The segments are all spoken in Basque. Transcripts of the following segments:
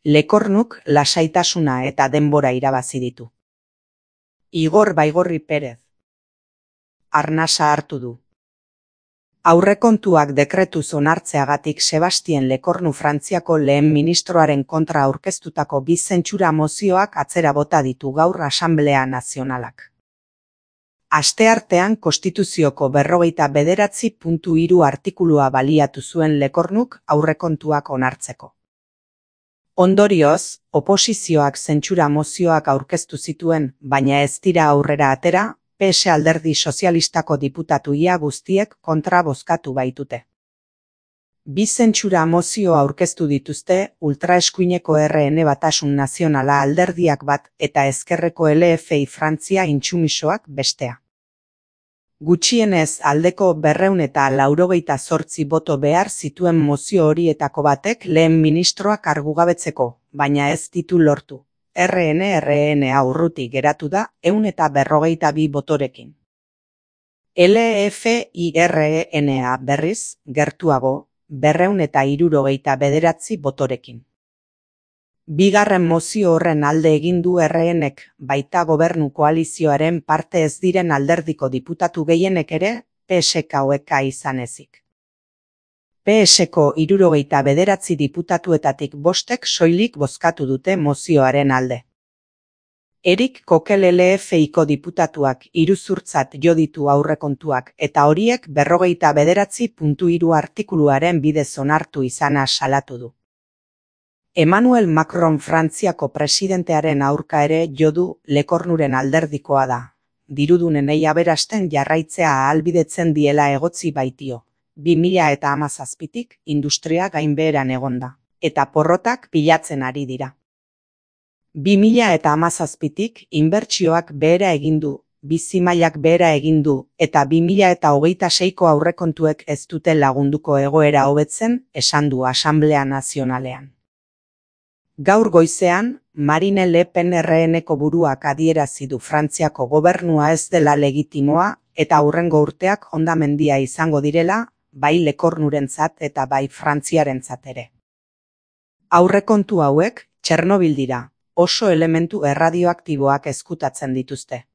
Lekornuk lasaitasuna eta denbora irabazi ditu. Igor Baigorri Perez. Arnasa hartu du. Aurrekontuak dekretuz onartzeagatik Sebastien Lekornu Frantziako lehen ministroaren kontra aurkeztutako 2 zentsura mozioak atzera bota ditu gaur Asanblea Nazionalak. Asteartean Konstituzioko 49.3 artikulua baliatu zuen Lekornuk aurrekontuak onartzeko. Ondorioz, oposizioak zentsura mozioak aurkeztu zituen, baina ez dira aurrera atera, PS Alderdi Sozialistako diputatu ia guztiek kontra bozkatu baitute. 2 zentsura mozio aurkeztu dituzte ultraeskuineko RN Batasun Nazionala alderdiak bat eta ezkerreko LFI Frantzia intsumisoak bestea. Gutxienez aldeko 298 boto behar zituen mozio horietako batek lehen ministroa kargugabetzeko, baina ez ditu lortu. RNA urruti geratu da 152 botorekin. LFIRNA berriz, gertuago, 269 botorekin. Bigarren mozio horren alde egin du RNek, baita gobernu koalizioaren parte ez diren alderdiko diputatu gehienek ere, PSK izan ezik. PSko 79 diputatuetatik 5ek soilik bozkatu dute mozioaren alde. Erik Kokel LFIko diputatuak iruzurtzat jo ditu aurrekontuak eta horiek 49.3 artikuluaren bidez onartu izana salatu du. Emmanuel Macron Frantziako presidentearen aurka ere jo du Lekornuren alderdikoa da. Dirudunenei aberasten jarraitzea ahalbidetzen diela egotzi baitio. 2017tik industria gainbeheran egonda, eta porrotak pilatzen ari dira. 2017tik inbertsioak behera egin du, bizi-mailak behera egin du, eta 2026ko aurrekontuek ez dute lagunduko egoera hobetzen, esan du Asanblea Nazionalean. Gaur goizean, Marine Le Pen RNko buruak adierazi du Frantziako gobernua ez dela legitimoa eta hurrengo urteak hondamendia izango direla, bai Lekornurentzat eta bai Frantziarentzat ere. Aurrekontu hauek, Txernobil dira, oso elementu erradioaktiboak ezkutatzen dituzte.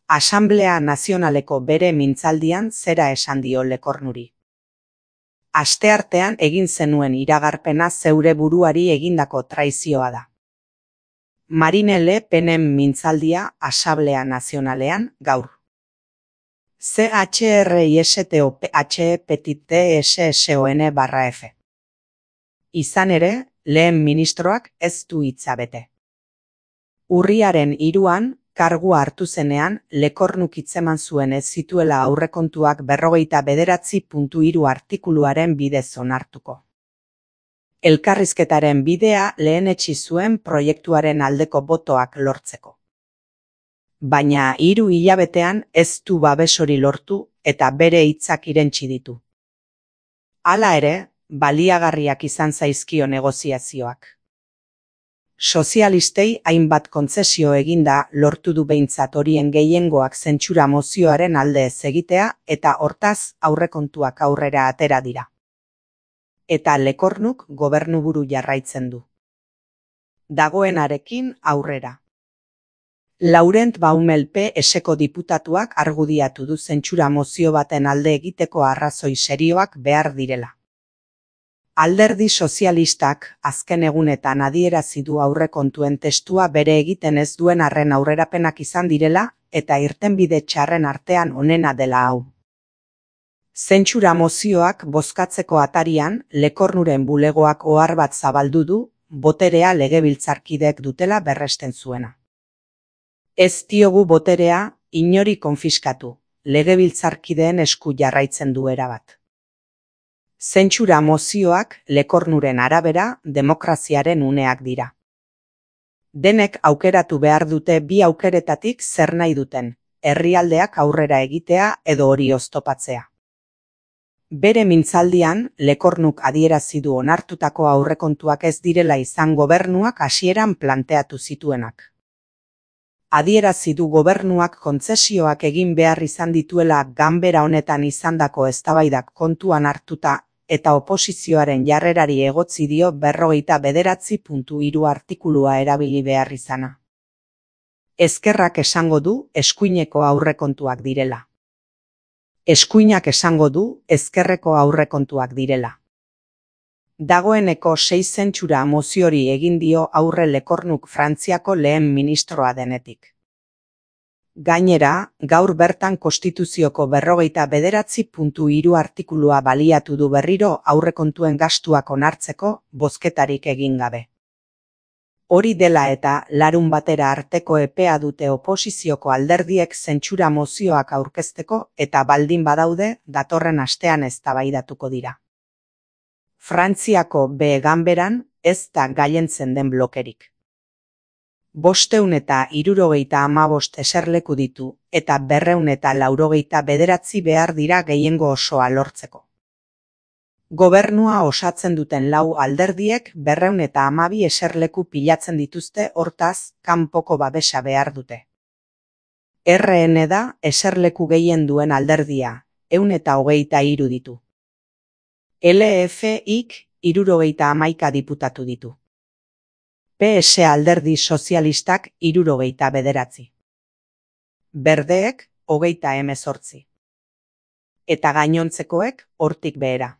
Asanblea Nazionaleko bere mintzaldian zera esan dio Lekornuri. Asteartean egin zenuen iragarpena zeure buruari egindako traizioa da. Marine Le Penen mintzaldia Asanblea Nazionalean gaur. CHRISTOPHE_TSSON_F. Izan ere, lehen ministroak ez du hitza bete. Urriaren 3an, kargua hartu zenean, Lekornuk hitzeman zuen ez zituela aurrekontuak 49.3 artikuluaren bidez onartuko. Elkarrizketaren bidea lehenetsi zuen proiektuaren aldeko botoak lortzeko. Baina 3 hilabetean ez du babes hori lortu eta bere hitzak irentsi ditu. Hala ere, baliagarriak izan zaizkio negoziazioak. Sozialistei hainbat kontzesio eginda lortu du behintzat horien gehiengoak zentsura mozioaren alde ez egitea eta hortaz aurrekontuak aurrera atera dira. Eta Lekornuk gobernuburu jarraitzen du. Dagoenarekin aurrera. Laurent Baumel PSko diputatuak argudiatu du zentsura mozio baten alde egiteko arrazoi serioak behar direla. Alderdi sozialistak azken egunetan adierazi du aurrekontuen testua bere egiten ez duen arren aurrerapenak izan direla eta irtenbide txarren artean onena dela hau. Zentsura mozioak bozkatzeko atarian Lekornuren bulegoak ohar bat zabaldu du, boterea legebiltzarkideek dutela berresten zuena. Ez diogu boterea inori konfiskatu, legebiltzarkideen esku jarraitzen du erabat. Zentsura mozioak Lekornuren arabera demokraziaren uneak dira. Denek aukeratu behar dute bi aukeretatik zer nahi duten, herrialdeak aurrera egitea edo hori oztopatzea. Bere mintzaldian, Lekornuk adierazi du onartutako aurrekontuak ez direla izan gobernuak hasieran planteatu zituenak. Adierazi du gobernuak kontzesioak egin behar izan dituela ganbera honetan izandako eztabaidak kontuan hartuta eta oposizioaren jarrerari egotzi dio 49.3 artikulua erabili behar izana. Ezkerrak esango du eskuineko aurrekontuak direla. Eskuinak esango du ezkerreko aurrekontuak direla. Dagoeneko 6 zentsura moziori egin dio aurre Lekornuk Frantziako lehen ministroa denetik. Gainera, gaur bertan Konstituzioko 49.3 artikulua baliatu du berriro aurrekontuen gastuak onartzeko bozketarik egin gabe. Hori dela eta larunbatera arteko epea dute oposizioko alderdiek zentsura mozioak aurkezteko eta baldin badaude datorren astean eztabaidatuko dira. Frantziako ganberan ez da gailentzen den blokerik. 575 eserleku ditu eta 289 behar dira gehiengo osoa lortzeko. Gobernua osatzen duten 4 alderdiek 212 eserleku pilatzen dituzte, hortaz, kanpoko babesa behar dute. RN da eserleku gehien duen alderdia, 123 ditu. LFIk 71 diputatu ditu. PS alderdi sozialistak 79. Berdeek 38. Eta gainontzekoek hortik behera.